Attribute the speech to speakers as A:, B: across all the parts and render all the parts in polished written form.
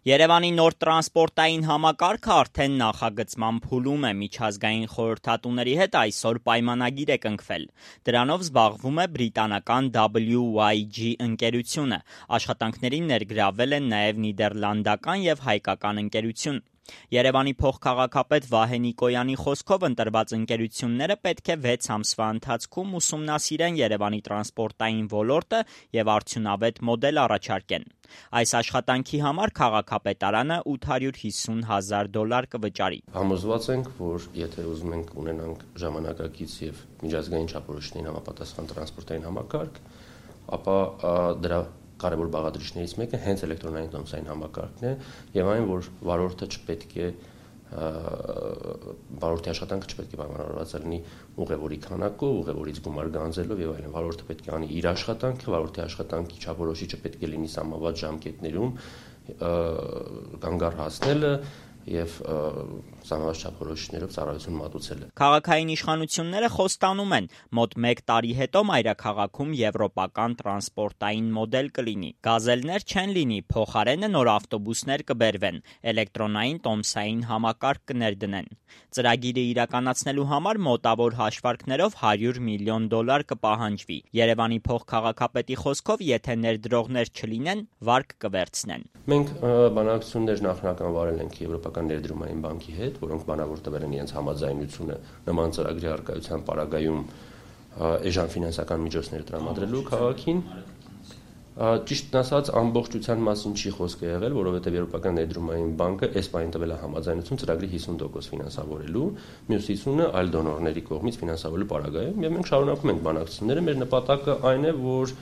A: Երևանի նոր տրանսպորտային համակարգը արդեն նախագծման փուլում է, միջազգային խորհրդատուների հետ այսօր պայմանագիր է կնքվել։ Դրանով զբաղվում է բրիտանական WYG ընկերությունը, աշխատանքներին ներգրավվել են նաև նիդերլանդական և հայկական ընկերություն։ Երևանի փոխքաղաքապետ Վահե Նիկոյանի խոսքով ընտրված ընկերությունները պետք է 6 ամսվա ընթացքում ուսումնասիրեն Երևանի տրանսպորտային ոլորտը և արդյունավետ մոդել առաջարկեն։ Այս աշխատանքի համար քաղաքապետարանը $850,000 կվճարի։
B: Համոզված ենք, որ եթե ուզում ենք ունենանք ժամանակակից և միջազգային չափորոշիչներին համապատասխան տրանսպորտային համակարգ, ապա դրա կարևոր բաղադրիչներից մեկը հենց էլեկտրոնային տոմսային համակարգն է եւ այն, որ վարորդի աշխատանքը չպետք է պայմանավորված լինի ուղևորի քանակով, ուղևորից գումար գանձելով եւ այլն։ Վարորդը պետք է անի իր աշխատանքը, վարորդի աշխատանքի չափորոշիչը պետք է լինի սահմանված ժամկետներում կանգառ հասնելը և սահմանված չափորոշիչներով ծառայություն մատուցելը։
A: Քաղաքային իշխանությունները խոստանում են, մոտ 1 տարի հետո մայրաքաղաքում եվրոպական տրանսպորտային մոդել կլինի։ Գազելներ չեն լինի, փոխարենը նոր ավտոբուսներ կբերվեն, էլեկտրոնային տոմսային համակարգ կներդնեն։ Ծրագիրը իրականացնելու համար մոտավոր հաշվարկներով $100 միլիոն կպահանջվի։ Երևանի փոխքաղաքապետի խոսքով, եթե ներդրողներ չլինեն, վարկ կվերցնեն։
B: Մենք բանակցություններ նախնական վարել ենք Եվրոպական ներդրումային բանկի հետ, որոնք բանավոր տվել են իրենց համաձայնությունը նման ծրագրի առկայության պարագայում էժան ֆինանսական միջոցներ տրամադրելու քաղաքին։ Ճիշտն ասած, ամբողջության մասին չի խոսքը եղել, որովհետև Եվրոպական ներդրումային բանկը այս պահին տվել է համաձայնություն ծրագրի 50% ֆինանսավորելու, մյուս 50%-ը այլ դոնորների կողմից ֆինանսավորելու պարագայում, եւ մենք շարունակում ենք բանակցությունները։ Մեր նպատակը այն է, որ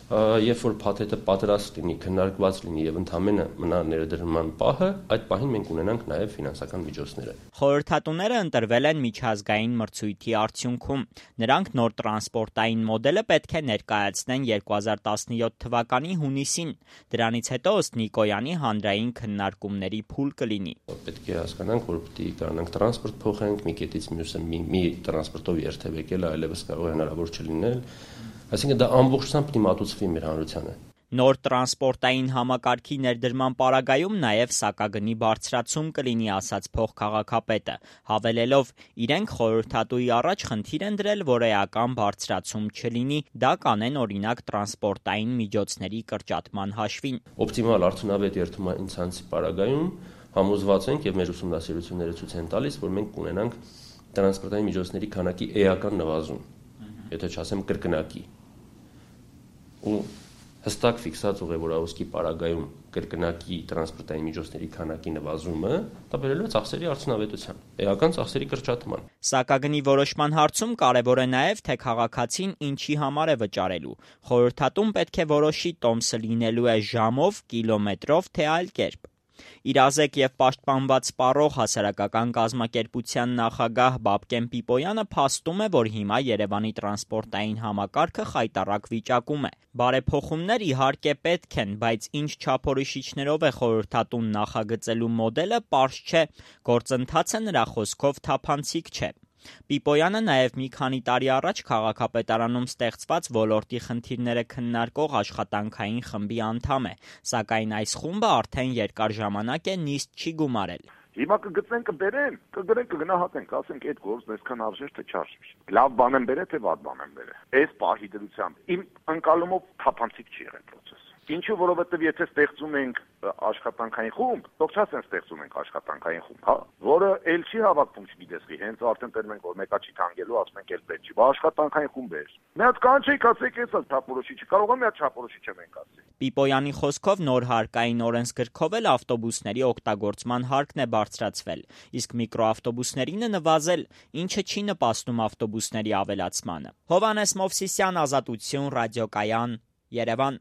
B: երբ որ փաթեթը պատրաստ լինի, քննարկված լինի եւ ընդամենը մնա ներդրման պահը, այդ պահին մենք ունենանք նաեւ ֆինանսական միջոցները։
A: Խորհրդատուները ընտրվել են միջազգային մրցույթի արդյունքում։ Նրանք նոր տրանսպորտային մոդելը պետք է ներկայացնեն 2017 թվականի հունիսին։ Դրանից հետո, ըստ Նիկոյանի, հանրային քննարկումների փուլ կլինի։
B: Պետք է հասկանանք, որ պետք է կարողանանք տրանսպորտ փոխենք մի կետից մյուսը, մի տրանսպորտով երթևեկել, այլևս կարող է հնարավոր չլինել։ Այսինքն դա ամբողջությամբ պետք է մատուցվի մեր հանրությանը։
A: Նոր տրանսպորտային համակարգի ներդրման պարագայում նաև սակագնի բարձրացում կլինի, ասաց փոխքաղաքապետը, հավելելով, իրենք խորհրդատուի առաջ խնդիր են դրել, որ էական բարձրացում չլինի, դա կանեն օրինակ տրանսպորտային միջոցների կրճատման հաշվին։
B: Օպտիմալ արդյունավետ երթումային ցանցի պարագայում համոզված ենք եւ մեր ուսումնասիրությունները ցույց են տալիս, որ մենք կունենանք տրանսպորտային միջոցների քանակի էական նվազում, եթե չասեմ կրկնակի։ Ու հստակ ֆիքսած ուղևորահոսքի պարագայում կրկնակի տրանսպորտային միջոցների քանակի նվազումը, դա բերելու է ծախսերի արդյունավետության, էական ծախսերի կրճատման։
A: Սակագնի որոշման հարցում կարևոր է նաև, թե քաղաքացին ինչի համար է վճարելու։ Խորհրդատուն պետք է որոշի տոմսը լինելու է ժամով, կիլոմետրով, թե այլ կերպ։ Իրազեկ և պաշտպանված սպառող հասարակական կազմակերպության նախագահ Բաբկեն Պիպոյանը փաստում է, որ հիմա Երևանի տրանսպորտային համակարգը խայտառակ վիճակում է։ Բարեփոխումներ իհարկե պետք են, բայց ինչ չափորոշիչներով է խորհրդատուն նախագծելու մոդելը, պարզ չէ։ Գործընթացը նրա խոսքով թափանցիկ չէ։ Պիպոյանը նաև մի քանի տարի առաջ քաղաքապետարանում ստեղծված ոլորտի խնդիրները քննարկող աշխատանքային խմբի անդամ է, սակայն այս խումբը արդեն երկար ժամանակ է նիստ չի գումարել։
C: Հիմա կգտնեն, կբերեն, կգրեն, կգնահատենք, ասենք այդ գործն այսքան արժեր թե չարժեր։ Լավ բան են բերել, թե վատ բան են բերել։ Այս պահի դրությամբ իմ ընկալումով թափանցիկ չի եղել process։ Ինչու, որովհետև եթե ստեղծում ենք աշխատանքային խումբ, թող չասեն ստեղծում ենք աշխատանքային խումբ, հա, որը ել չի հավաքվում չգիտեսի, հենց արդեն տերում ենք, որ մեկա չի թանգելու, ասում ենք ել պետք չի, աշխատանքային խումբ է։ Մի հատ կանչեիք, ասեք, էս թափորոշիչը, կարող է մի հատ չափորոշիչը մենք ասենք։
A: Պիպոյանի խոսքով նոր հարկային օրենսգրքով էլ ավտոբուսների օգտագործման հարկն է բարձրացվել, իսկ միկրոավտոբուսներինը նվազել, ինչը չի նպաստում ավտոբուսների ավելացմանը։ Հովհաննես Մովսիսյան, Ազատություն, Ռադիոկայան, Երևան։